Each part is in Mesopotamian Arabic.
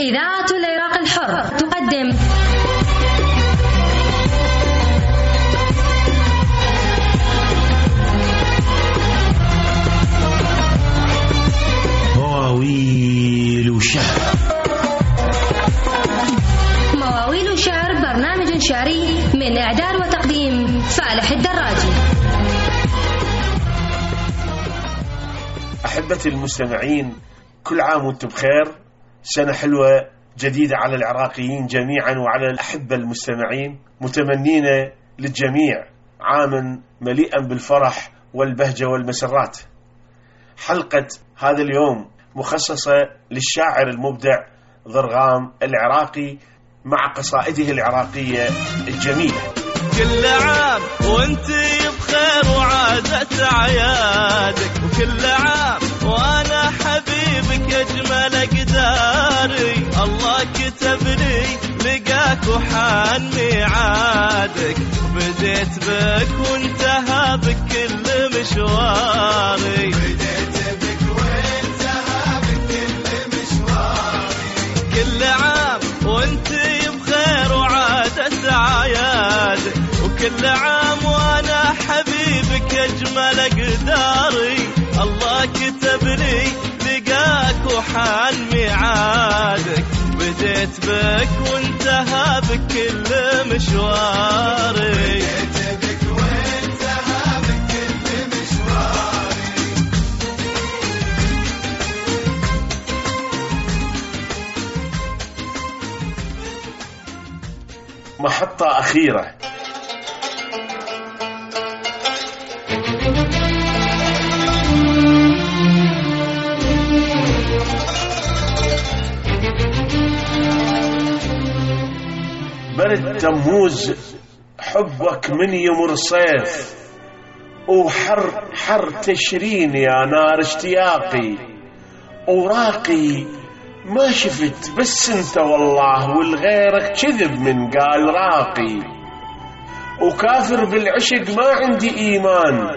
إذاعة العراق الحر تقدم مواويل وشعر. مواويل وشعر برنامج شعري من إعداد وتقديم فالح الدراجي. أحبتي المستمعين، كل عام وانتم بخير. سنة حلوة جديدة على العراقيين جميعا وعلى الأحبة المستمعين، متمنين للجميع عاما مليئا بالفرح والبهجة والمسرات. حلقة هذا اليوم مخصصة للشاعر المبدع ضرغام العراقي مع قصائده العراقية الجميلة. كل عام وانت بخير وعادت عيادك، وكل عام وانا حبيبك اجمل اقداري. الله كتب لي لقاك وحان ميعادك، بديت بك وانتهى بك كل مشواري. بديت بك وانتهى بك كل مشواري. كل عام وانت بخير وعادت عيادك، وكل عام وانا حبيبك اجمل اقداري. الله كتب لي لقاك وحان ميعادك، بديت بك وانتهى بك كل مشواري. بديت بك وانتهى بك كل مشواري. محطة أخيرة. برد تموز حبك من يمر صيف، وحر تشرين يا نار اشتياقي. وراقي ما شفت بس انت والله، والغيرك كذب من قال راقي. وكافر بالعشق ما عندي ايمان،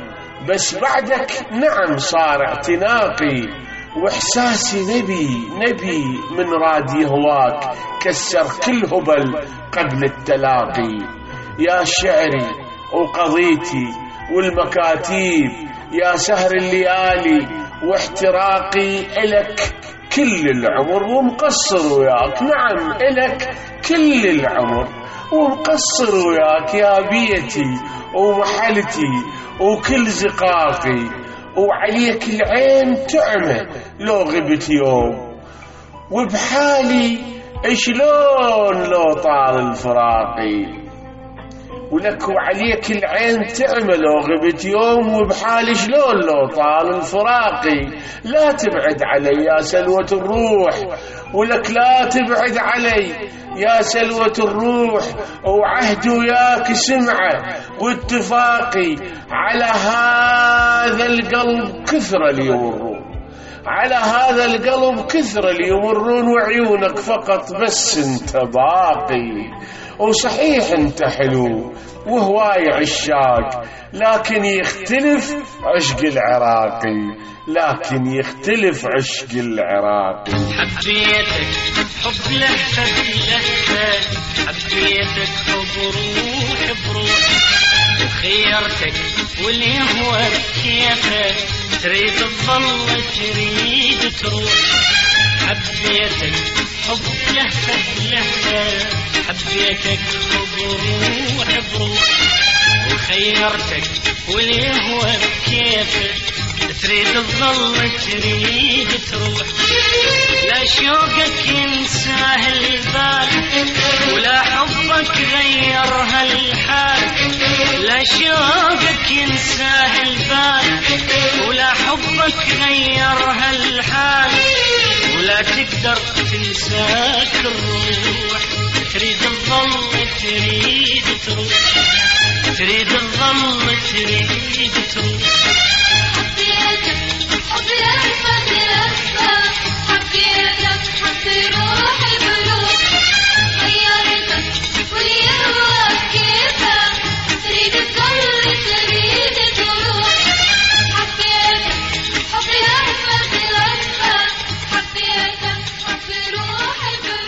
بس بعدك نعم صار اعتناقي. واحساسي نبي من راد يهواك، كسر كل هبل قبل التلاقي. يا شعري وقضيتي والمكاتيب، يا سهر الليالي واحتراقي. إلك كل العمر ومقصر وياك، نعم إلك كل العمر ومقصر وياك. يا بيتي ومحلتي وكل زقاقي، وعليك العين تعمى لو غبت يوم. وبحالي شلون لو طال الفراقي. ولك وعليك العين تعمى لو غبت يوم، وبحالي شلون لو طال الفراقي. لا تبعد علي يا سلوة الروح، ولك لا تبعد علي يا سلوة الروح. وعهد وياك سمعة واتفاقي، على هذا القلب كثر اللي يمرون، على هذا القلب كثر اللي يمرون. وعيونك فقط بس انت باقي. وصحيح انت حلو وهواي عشاق، لكن يختلف عشق العراقي، لكن يختلف عشق العراقي. حبيتك حب لهفة بلهفة، حبيتك حب روح بروح. وخيرتك واللي هو بكيفك، تريد تظل تريد تروح. حبيتك حب لهفة بلهفة، حبيتك حب روح بروح. وخيرتك واللي هو بكيفك، تريد تظل تريد تروح. لا شوقك ينساه البال، ولا حبك غير هالحال. لا شوقك ينساه البال، ولا حبك غير هالحال. ولا تقدر تنساك الروح، تريد تظل تريد تروح. تريد تظل تريد تروح. حبيتك حب لهفة لهفة، حبيتك حب روحي بروح. غيرتك واللي هو كيفك، تريد تظل تريد تروح. حبيتك حب لهفة لهفة، حبيتك حب روحي بروح.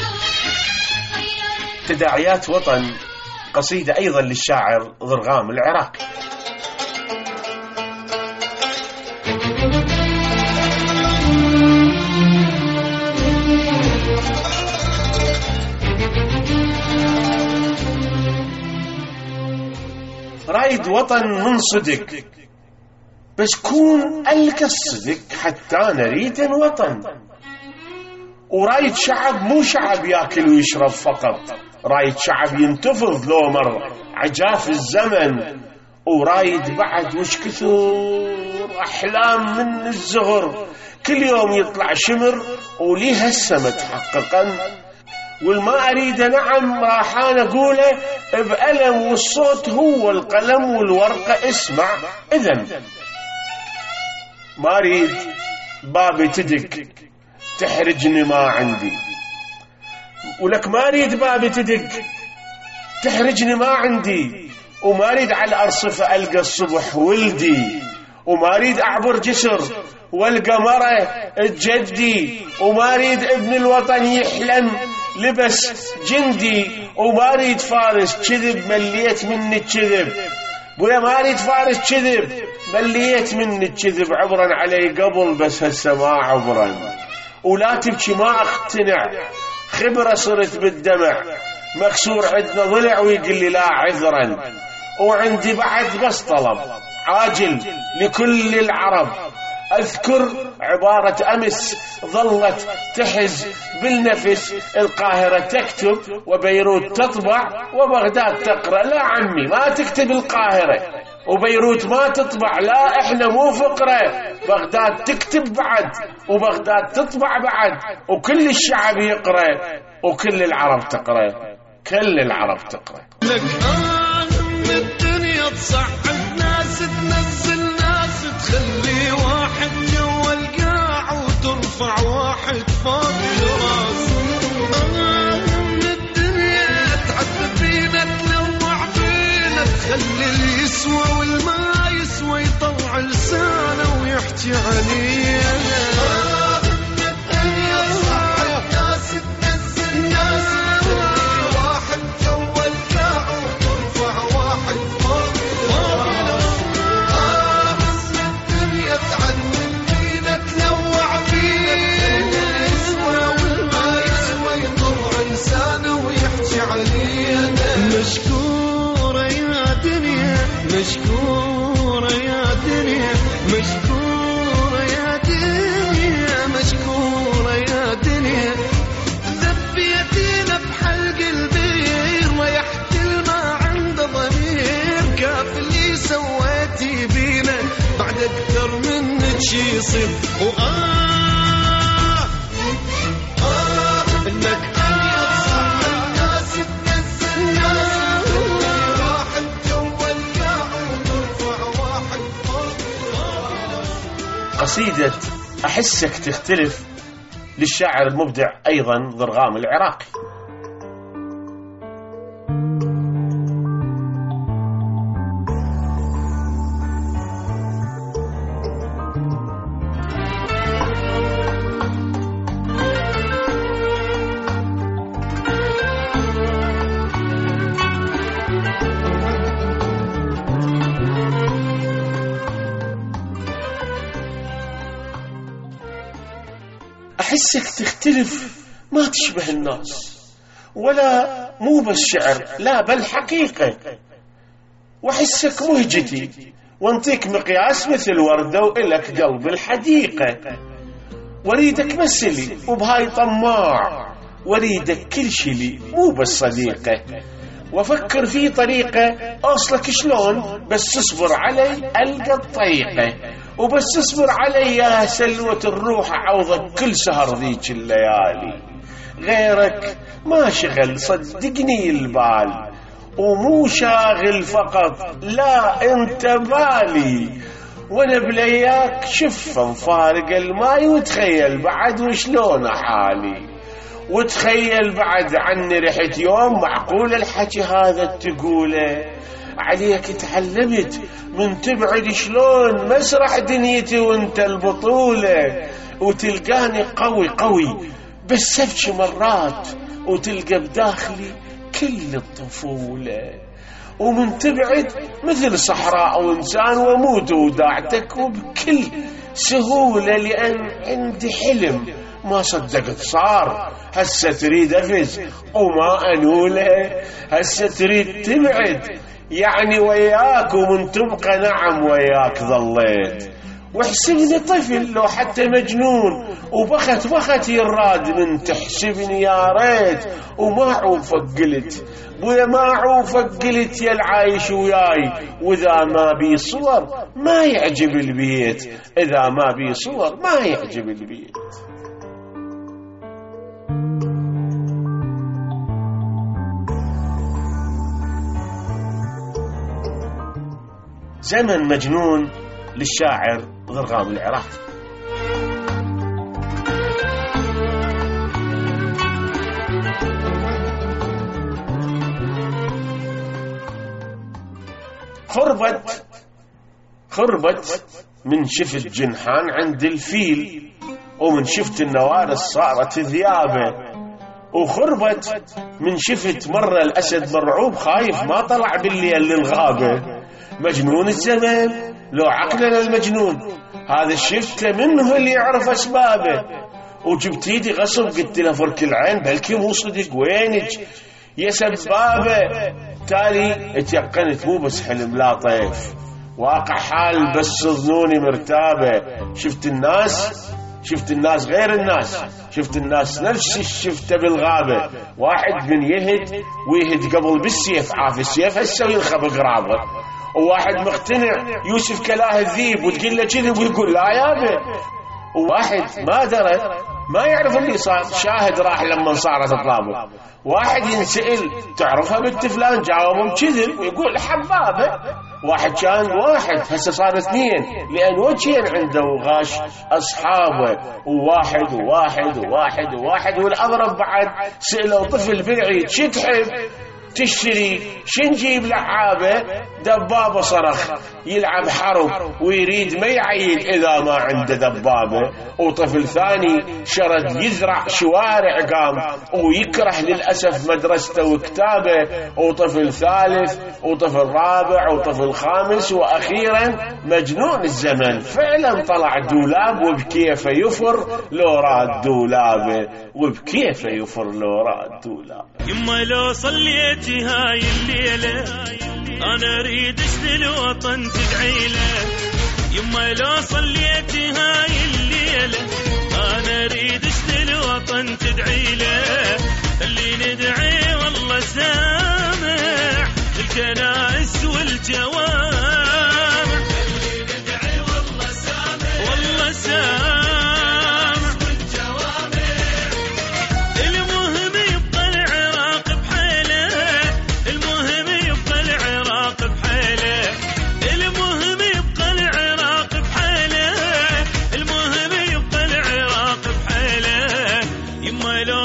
تداعيات وطن، قصيدة أيضا للشاعر ضرغام العراقي. رايد وطن من صدق، بس كون ألقى الصدق حتى نريد وطن. ورايد شعب مو شعب ياكل ويشرب فقط، رايد شعب ينتفض لو مر عجاف الزمن. ورايد بعد وش كثر أحلام من الزهر، كل يوم يطلع شمر وليها السما تحققا. والما أريد نعم راح أنا أقوله بألم، والصوت هو القلم والورقة اسمع إذن. ما أريد بابي تدق تحرجني ما عندي، ولك ما أريد بابي تدق تحرجني ما عندي. وما أريد على الأرصفة ألقى الصبح ولدي، وما أريد أعبر جسر والقى مرة جدي. وما أريد ابن الوطن يحلم لبس جندي، وما أريد فارس كذب مليت مني الكذب. بويا ما أريد فارس كذب مليت مني الكذب. عبرا علي قبل بس هسه ما عبرا، ولا تبكي ما اقتنع، خبرة صرت بالدمع. مكسور عندنا ضلع ويقول لي لا عذرا. وعندي بعد بس طلب عاجل لكل العرب. أذكر عبارة أمس ظلت تحز بالنفس، القاهرة تكتب وبيروت تطبع وبغداد تقرأ. لا عمي ما تكتب القاهرة وبيروت ما تطبع، لا احنا مو فقرة. بغداد تكتب بعد وبغداد تطبع بعد، وكل الشعب يقرأ وكل العرب تقرأ، كل العرب تقرأ. لك من الدنيا تصعد ناس تنزل ناس، تخلي واحد جوا القاع وترفع واحد فوق الراس. من الدنيا تعذب فينا تنوع فينا، تخلي اللي يسوى والما يسوى يطلع لسانه ويحكي علينا. من الدنيا تصعد ناس تنزل ناس، تخلي واحد جوا القاع وترفع واحد فوق الراس. من الدنيا تعذب فينا تنوع فينا، يسوى والما يسوى يطلع لسانه ويحكي علينا. مشكورة يا دنيا مشكورة يا دنيا مشكورة يا دنيا مشكورة يا دنيا. ذبيتينا بحلق البير ويحتل ما عنده ضمير، كاف اللي سويتي بينا بعد أكثر منك شي يصير. إنك قصيدة أحسك تختلف للشاعر المبدع أيضا ضرغام العراقي. أحسك تختلف ما تشبه الناس، ولا مو بس شعر لا بل حقيقة. وأحسك مهجتي وانطيك مقياس مثل وردة وإلك قلب الحديقة. وريدك مسلي وبهاي طماع، وريدك كل شي لي مو بس صديقة. وافكر في طريقة أوصلك شلون، بس تصبر علي ألقى الطريقة. وبس تصبر علي يا سلوة الروح عوضك كل سهر ذيك الليالي. غيرك ما شغل صدقني البال، ومو شاغل فقط لا انت بالي. وانا بلياك شف مفارق الماي، وتخيل بعد وشلون حالي. وتخيل بعد عني رحت يوم معقول الحكي هذا تقوله. عليك تعلمت من تبعد شلون مسرح دنيتي وانت البطولة. وتلقاني قوي قوي بس ابكي مرات، وتلقى بداخلي كل الطفولة، ومن تبعد مثل صحراء أو إنسان وموت وداعتك وبكل سهولة، لأن عندي حلم ما صدقت صار. هسه تريد أفز وما أنوله، هسه تريد تبعد يعني وياك، ومن تبقى نعم وياك ظليت. واحسبني طفل لو حتى مجنون، وبخت يراد من تحسبني يا ريت. وما عوفك قلت بويا، ما عوفك قلت يا العايش وياي، وإذا ما بي صور ما يعجب البيت، إذا ما بي صور ما يعجب البيت. زمن مجنون للشاعر ضرغام العراقي. خربت من شفت جنحان عند الفيل، ومن شفت النوارس صارت ذيابه. وخربت من شفت مرة الأسد مرعوب خايف ما طلع بالليل للغابة. مجنون الزمان لو عقلنا المجنون، هذا شفته منه اللي يعرف أسبابه. وجبت ايدي غصب قلت له فرك العين بلكي مو صدق، وينك يا سبابة؟ تالي اتيقنت مو بس حلم لا طيف، واقع حال بس ظنوني مرتابة. شفت الناس غير الناس، شفت الناس نفس الشفته بالغابة. واحد من يهد ويهد قبل بالسيف، عاف السيف هسه وينخب قرابه. وواحد مقتنع يوسف كلاه الذيب، وتقول له كذب ويقول لا يابا. وواحد ما درى ما يعرف اللي صار، شاهد راح لما صارت الطابة. واحد ينسأل تعرفها بنت فلان، جاوبهم كذب ويقول حبابة. واحد كان واحد هسه صار اثنين، لأن وجهين عنده وغاش أصحابه. وواحد وواحد وواحد وواحد. والأضرب بعد سألوا طفل بالعيد شو تحب تشتري، شنجيب لعابة؟ دبابة صرخ يلعب حرب ويريد ما يعيد إذا ما عنده دبابة. وطفل ثاني شرد يزرع شوارع قام ويكره للأسف مدرسته وكتابه. وطفل ثالث وطفل رابع وطفل خامس. وأخيرا مجنون الزمن فعلا طلع دولاب، وبكيف يفر لو راد دولابه، وبكيف يفر لو راد دولابه. يما لو صليتي هاي الليلة أنا أريد أشتري وطن تدعي له. يما لو صليتي هاي الليلة أنا أريد أشتري وطن تدعي له. اللي ندعي والله سامع الكنائس والجوامع، اللي ندعي والله سامع والله سامع.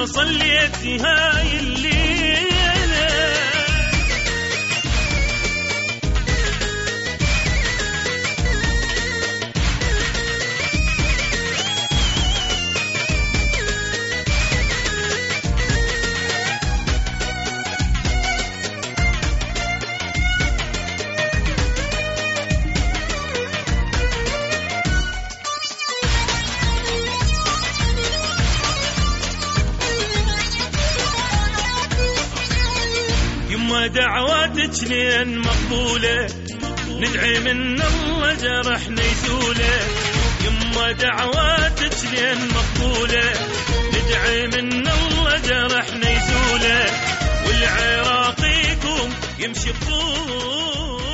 صليتي هاي الليلة دعواتك لين مقبولة، ندعي من الله جرحنا يزوله. يما دعواتك لين مقبولة، ندعي من الله جرحنا يزوله. والعراقيكم يمشي بطوله.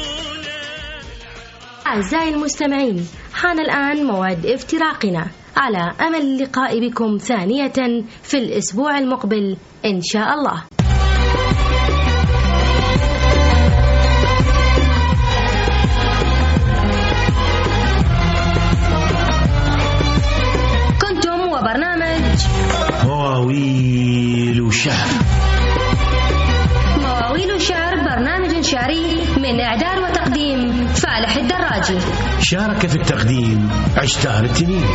أعزائي المستمعين، حان الآن موعد افتراقنا، على أمل اللقاء بكم ثانية في الأسبوع المقبل إن شاء الله. برنامج مواويل وشعر. مواويل وشعر برنامج شعري من إعداد وتقديم فالح الدراجي. شارك في التقديم عشتار التنين.